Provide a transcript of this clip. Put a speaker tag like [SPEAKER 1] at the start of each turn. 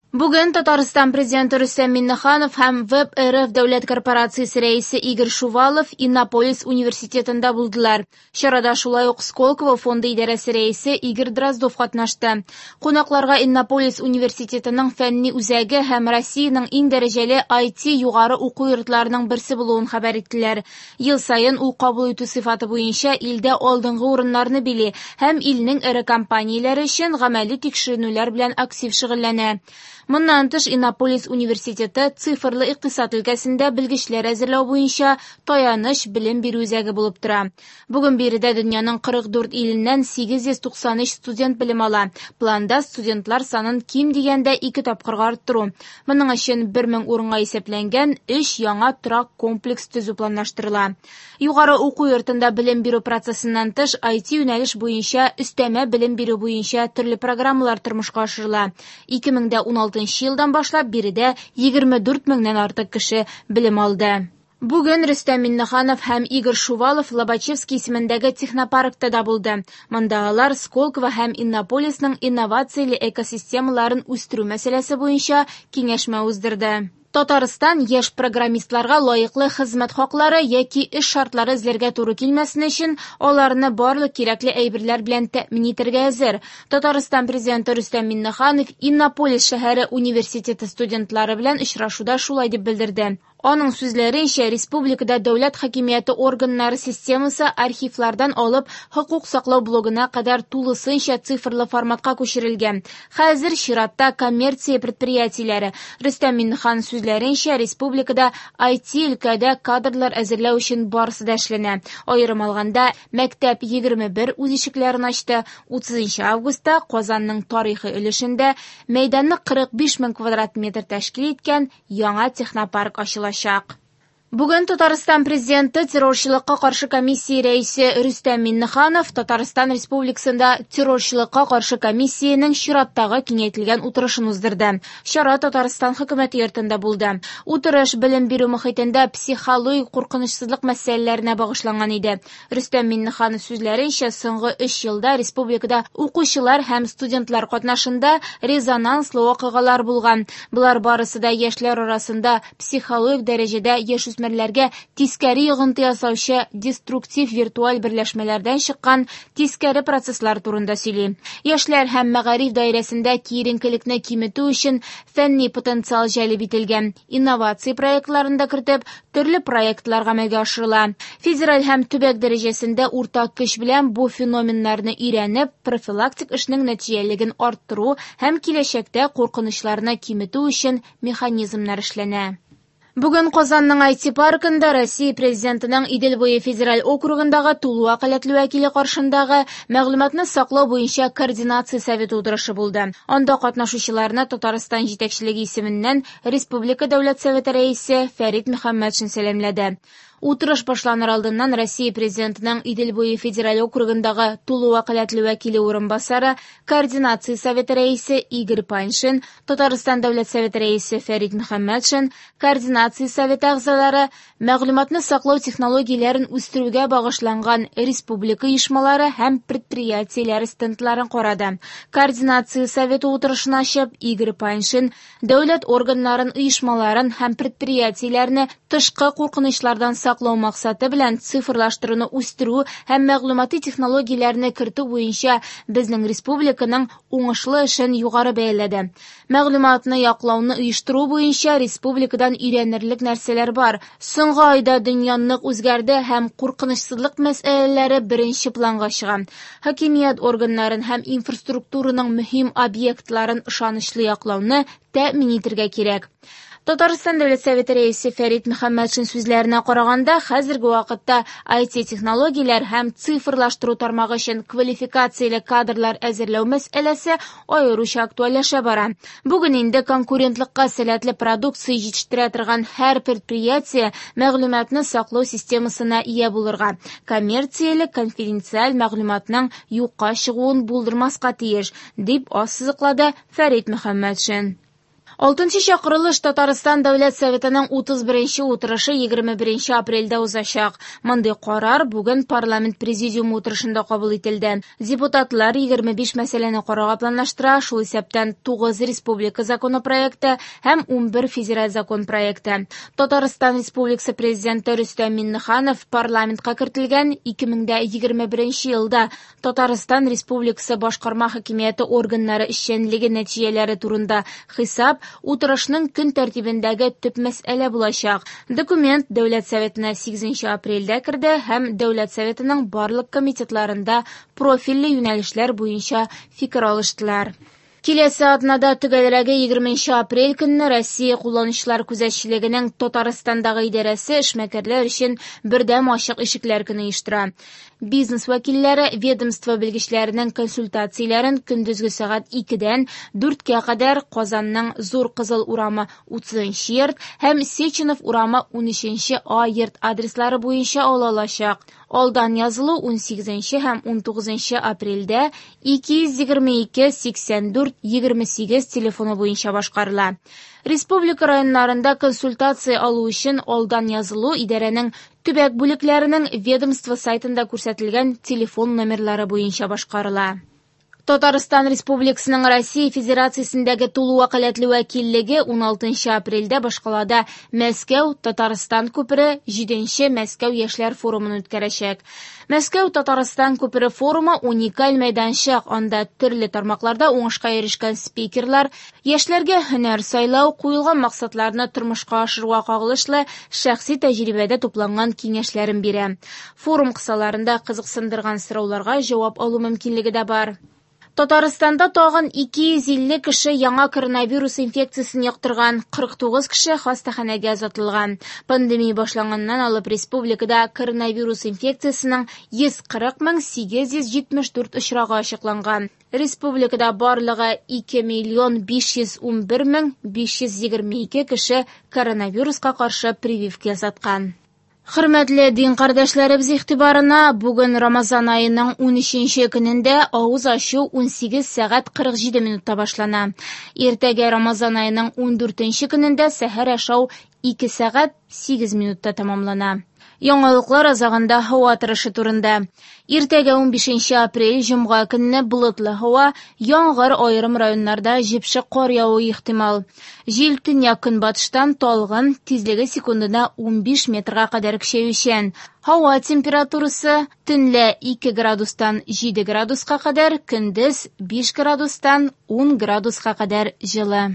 [SPEAKER 1] Бүген Татарстан Президенты Рөстәм Миңнеханов һәм ВЭБ-РФ дәүләт корпорациясе рәисе Игорь Шувалов Иннополис университетында булдылар. Чарада шулай ук Сколково фонды идарәсе рәисе Игорь Дроздов катнашты. Кунакларга Иннополис университетының фәнни үзәге һәм Россиянең иң дәрәҗәле IT югары уку йортларының берсе булуын хәбәр иттеләр. Ел саен ул кабул итү сыйфаты буенча илдә алдынгы урыннарны били һәм илнең эре компанияләре өчен гамәли тикшеренүләр белән актив шөгыльләнә. Моннан тыш, Иннополис университеты цифрлы икътисад өлкәсендә белгечләр әзерләү буенча таяныч белем бирү үзәге булып тора. Бүген биредә дөньяның 44 иленнән 893 студент белем ала. Планда студентлар санын ким дигәндә ике тапкырга арттыру. Моның өчен 1000 урынга исәпләнгән өч яңа торак комплекс төзү планлаштырыла. Югары уку йортында белем бирү процессыннан тыш, IT юнәлеш буенча өстәмә белем бирү буенча төрле программалар тормышка ашырыла. 2016 елдан башлап биредә 24 меңнән артык кеше белем алды. Бүген Рөстәм Миңнеханов һәм Игорь Шувалов Лобачевский исемендәге технопаркта да булды. Монда алар Сколково һәм Иннополисның инновацияле экосистемаларын үстерү мәсьәләсе буенча киңәшмә уздырды. Татарстан яшь программистларга лаеклы хезмәт хаклары яки эш шартлары эзләргә туры килмәсен өчен аларны барлык кирәкле әйберләр белән тәэмин итәргә әзер. Татарстан Президенты Рөстәм Миңнеханов Иннополис шәһәре университеты студентлары белән очрашуда шулай дип белдерде. Аның сүзләренчә, республикада дәүләт хакимияте органнары системасы архивлардан алып хокук саклау блогына кадәр тулысынча цифрлы форматка күчерелгән. Хәзер чиратта коммерция предприятиеләре. Рөстәм Миңнеханов сүзләренчә, республикада IT өлкәдә кадрлар әзерләү өчен барысы да эшләнә. Аерым алганда, мәктәп 21 үз ишекләрен ачты. 30 августта Казанның тарихи өлешендә мәйданы 45 мең квадрат метр тәшкил иткән яңа технопарк ачылачак. Бүген Татарстан Президенты террорчылыкка каршы комиссия рәисе Рөстәм Миңнеханов Татарстан Республикасында террорчылыкка каршы комиссиянең чираттагы киңәйтелгән утырышын уздырды. Чара Татарстан хөкүмәте йортында булды. Утырыш белем бирү мохитендә психологик куркынычсызлык мәсьәләләренә багышланган иде. Рөстәм Миңнеханов сүзләренчә, соңгы 3 елда республикада укучылар һәм студентлар катнашында резонанслы вакыйгалар булган. Болар барысы да яшьләр арасында психологик дәрәҗәдә яшүсмерләргә тискәре йогынты ясаучы деструктив виртуаль берләшмәләрдән чыккан тискәре процесслар турында сөйли. Яшьләр һәм мәгариф даирәсендә киеренкелекне киметү өчен фәнни потенциал җәлеп ителгән. Инновация проектларын да кертеп, төрле проектлар гамәлгә ашырыла. Федераль һәм төбәк дәрәҗәсендә уртак көч белән бу феноменнарны өйрәнеп, профилактик эшнең нәтиҗәлелеген арттыру һәм киләчәктә куркынычларны киметү өчен механизмнар эшләнә. Бүген Казанның IT паркында Россия Президентының Идел буе федераль округындагы тулы вәкаләтле вәкиле каршындагы мәгълүматны саклау буенча координация советы утырышы булды. Анда катнашучыларны Татарстан җитәкчелеге исеменнән Республика Дәүләт Советы рәисе Фәрит Мөхәммәтшин сәламләде. Утырыш башланыр алдыннан Россия Президентының Идел буе федераль округындагы тулы вәкаләтле вәкиле урынбасары, координация советы рәисе Игорь Паньшин, Татарстан Дәүләт Советы рәисе Фәрит Мөхәммәтшин, координация советы әгъзалары, мәгълүматны саклау технологияләрен үстерүгә багышланган республика оешмалары һәм предприятиеләре стендларын карады. Координация советы утырышын ачып, Игорь Паньшин дәүләт органнарын, оешмаларын һәм предприятиеләрне тышкы куркынычлардан саклау максаты белән цифрлаштыруны үстерү һәм мәгълүмати технологияләрне кертү буенча безнең республиканың уңышлы эшен югары бәяләде. Мәгълүматны яклауны оештыру буенча республикадан өйрәнерлек нәрсәләр бар. Соңгы айда дөнья нык үзгәрде һәм куркынычсызлык мәсьәләләре беренче планга чыга. Хакимият органнарын һәм инфраструктураның мөһим объектларын ышанычлы яклауны тәэмин итәргә кирәк. Татарстан Дәүләт Советы рәисе Фәрит Мөхәммәтшин сүзләренә караганда, хәзерге вакытта IT технологияләр һәм цифрлаштыру тармагы өчен квалификацияле кадрлар әзерләү мәсьәләсе аеруча актуальләшә бара. Бүген инде конкурентлыкка сәләтле продукция җитештерә торган һәр предприятие мәгълүматны саклау системасына ия булырга, коммерцияле конфиденциаль мәгълүматның юкка чыгуын булдырмаска тиеш, дип ассызыклады Фәрит Мөхәммәтшин. Алтынчы чакырылыш Татарстан Дәүләт Советының 31 утырышы 21 апрельдә узачак. Мондый карар бүген парламент президиумы утырышында кабул ителде. Депутатлар 25 мәсьәләне карарга планлаштыра, шул исәптән 9 республика законопроекты һәм 11 федераль закон проекты. Татарстан Республикасы Президенты Рөстәм Миңнеханов парламентка кертелгән 2021 елда Татарстан Республикасы башкарма хакимияте органнары эшчәнлеге нәтиҗәләре турында хисап утырышның көн тәртибендәге төп мәсьәлә булачак. Документ Дәүләт Советына 8 апрельдә керде һәм Дәүләт Советының барлык комитетларында профильле юнәлешләр буенча фикер алыштылар. Киләсе атнада, төгәлрәге 20 апрель көнне Россия кулланучылар күзәтчелегенең Татарстандагы идарәсе эшмәкәрләр өчен бердәм ачык ишекләр көне оештыра. Бизнес вәкилләре ведомство белгечләренең консультацияләрен көндезге сәгать 2-дән 4-кә кадәр Казанның Зур Кызыл урамы 30 йорт һәм Сеченов урамы 13 А йорт адреслары буенча ала алачак. Алдан язылу 18 һәм 19 апрельдә 222 84 28 телефоны буенча башкарыла. Республика районнарында консультация алу өчен алдан язылу идарәнең төбәк бүлекләренең ведомство сайтында күрсәтелгән телефон номерлары буенча башкарыла. Татарстан Республикасының Россия Федерациясендәге тулы вәкаләтле вәкиллеге 16 апрельдә башкалада Мәскәү Татарстан күпере 7 Мәскәү яшьләр форумын үткәрәчәк. Мәскәү Татарстан күпере форумы уникаль мәйданчык, анда төрле тармакларда уңышка ирешкән спикерлар яшьләргә һөнәр сайлау, куелган максатларны тормышка ашыруга кагылышлы шәхси тәҗрибәдә тупланган киңәшләрен бирә. Форум кысаларында кызыксындырган сорауларга җавап алу мөмкинлеге дә бар. Татарстанда тагын 250 кеше яңа коронавирус инфекциясен йоктырган, 49 кеше хастаханәгә озатылган. Пандемия башланганнан алып республикада коронавирус инфекциясенең 140 874 очрагы ачыкланган. Республикада барлыгы 2 миллион 511 522 кеше коронавируска каршы прививка ясаткан. Хөрмәтле дин кардәшләребез игътибарына, бүген Рамазан аеның 13 көнендә авыз ачу 18 сәгать 47 минутта башлана. Иртәгә Рамазан аеның 14 көнендә сәхәр ашау 2 сәгать 8 минутта тәмамлана. Яңалыклар азагында һава торышы турында. Иртәгә 15 апрель җомга көнне болытлы һава, яңгыр, аерым районнарда җепшек кар явуы ихтимал. Җил төньяк көнбатыштан талгын, тизлеге секундына 15 метрга кадәр көчәючән. Һава температурасы төнлә 2 градустан 7 градуска кадәр, көндез 5 градустан 10 градуска кадәр җылы.